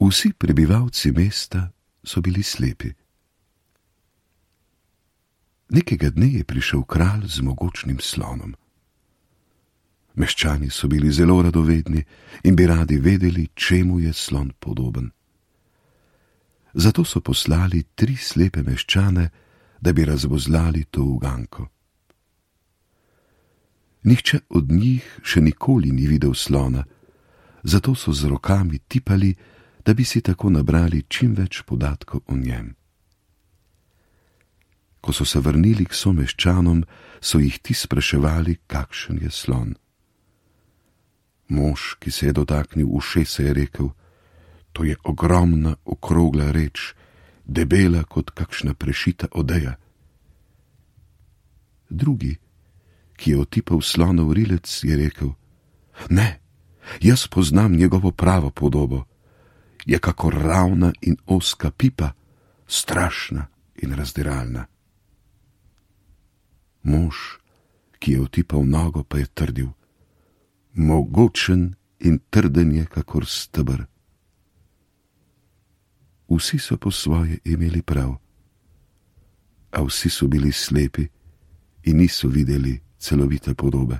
Vsi prebivalci mesta so bili slepi. Nekega dne je prišel kralj z mogočnim slonom. Meščani so bili zelo radovedni in bi radi vedeli, čemu je slon podoben. Zato so poslali 3 slepe meščane, da bi razvozlali to uganko. Nihče od njih še nikoli ni videl slona, zato so z rokami tipali, da bi si tako nabrali čim več podatkov o njem. Ko so se vrnili k someščanom, so jih ti spraševali, kakšen je slon. Mož, ki se je dotaknil ušesa, je rekel: to je ogromna okrogla reč, debela kot kakšna prešita odeja. Drugi, ki je otipal slonov rilec, je rekel: ne, jaz poznam njegovo pravo podobo. Je kakor ravna in ozka pipa, strašna in razdiralna. Mož, ki je otipal nogo, pa je trdil: mogočen in trden je kakor steber. Vsi so po svoje imeli prav, a vsi so bili slepi in niso videli celovite podobe.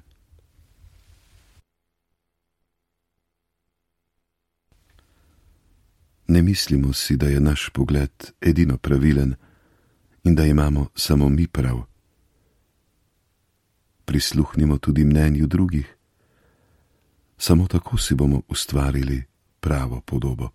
Ne mislimo si, da je naš pogled edino pravilen in da imamo samo mi prav. Prisluhnimo tudi mnenju drugih. Samo tako si bomo ustvarili pravo podobo.